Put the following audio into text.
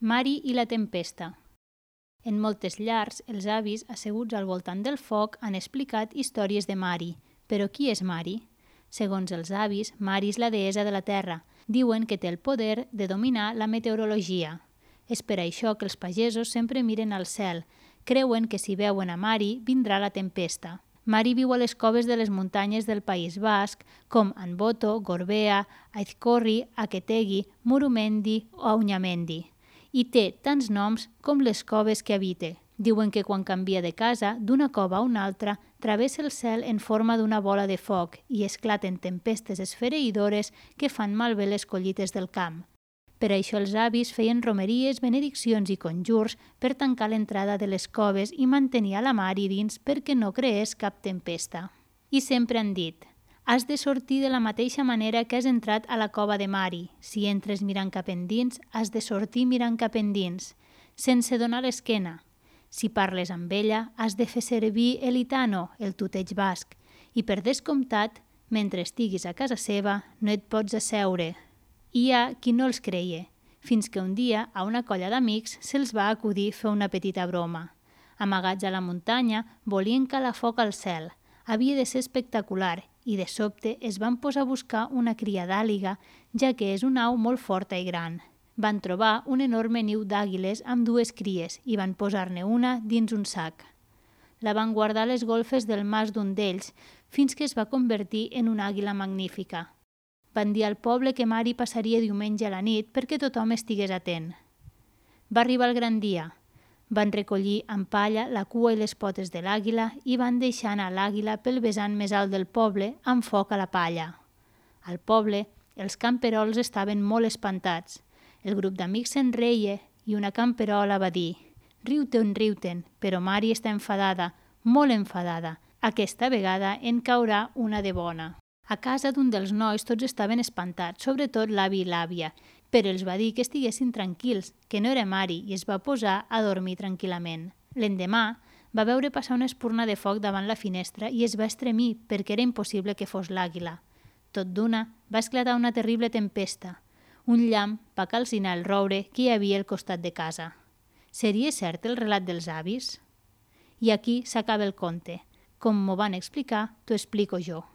Mari i la tempesta. En moltes llars, els avis, asseguts al voltant del foc, han explicat històries de Mari. Però qui és Mari? Segons els avis, Mari és la deessa de la terra. Diuen que té el poder de dominar la meteorologia. És per això que els pagesos sempre miren al cel. Creuen que si veuen a Mari, vindrà la tempesta. Mari viu a les coves de les muntanyes del País Basc, com Anboto, Gorbea, Aizkorri, Aketegi, Murumendi o Auñamendi. I té tants noms com les coves que habita. Diuen que quan canvia de casa, d'una cova a una altra, travessa el cel en forma d'una bola de foc i esclaten tempestes esfereïdores que fan malbé les collites del camp. Per això els avis feien romeries, benediccions i conjurs per tancar l'entrada de les coves i mantenir a la Mari dins perquè no creés cap tempesta. I sempre han dit: has de sortir de la mateixa manera que has entrat a la cova de Mari. Si entres mirant cap endins, has de sortir mirant cap endins, sense donar l'esquena. Si parles amb ella, has de fer servir l'itano, el tuteig basc, i per descomptat, mentre estiguis a casa seva, no et pots asseure. Hi ha qui no els creia, fins que un dia a una colla d'amics se'ls va acudir fer una petita broma. Amagats a la muntanya, volien calar foc al cel. Havia de ser espectacular i de sobte es van posar a buscar una cria d'àliga, ja que és una au molt forta i gran. Van trobar un enorme niu d'àguiles amb 2 cries i van posar-ne una dins un sac. La van guardar a les golfes del mas d'un d'ells fins que es va convertir en una àguila magnífica. Van dir al poble que Mari passaria diumenge a la nit perquè tothom estigués atent. Va arribar el gran dia. Van recollir amb palla la cua i les potes de l'àguila i van deixar anar l'àguila pel vessant més alt del poble amb foc a la palla. Al poble, els camperols estaven molt espantats. El grup d'amics se'n reia i una camperola va dir: riu-te'n, però Mari està enfadada, molt enfadada. Aquesta vegada en caurà una de bona. A casa d'un dels nois tots estaven espantats, sobretot l'avi i l'àvia, però els va dir que estiguessin tranquils, que no era Mari, i es va posar a dormir tranquil·lament. L'endemà va veure passar una espurna de foc davant la finestra i es va estremir perquè era impossible que fos l'àguila. Tot d'una va esclatar una terrible tempesta. Un llamp va calcinar el roure que hi havia al costat de casa. Seria cert el relat dels avis? I aquí s'acaba el conte. Com m'ho van explicar, t'ho explico jo.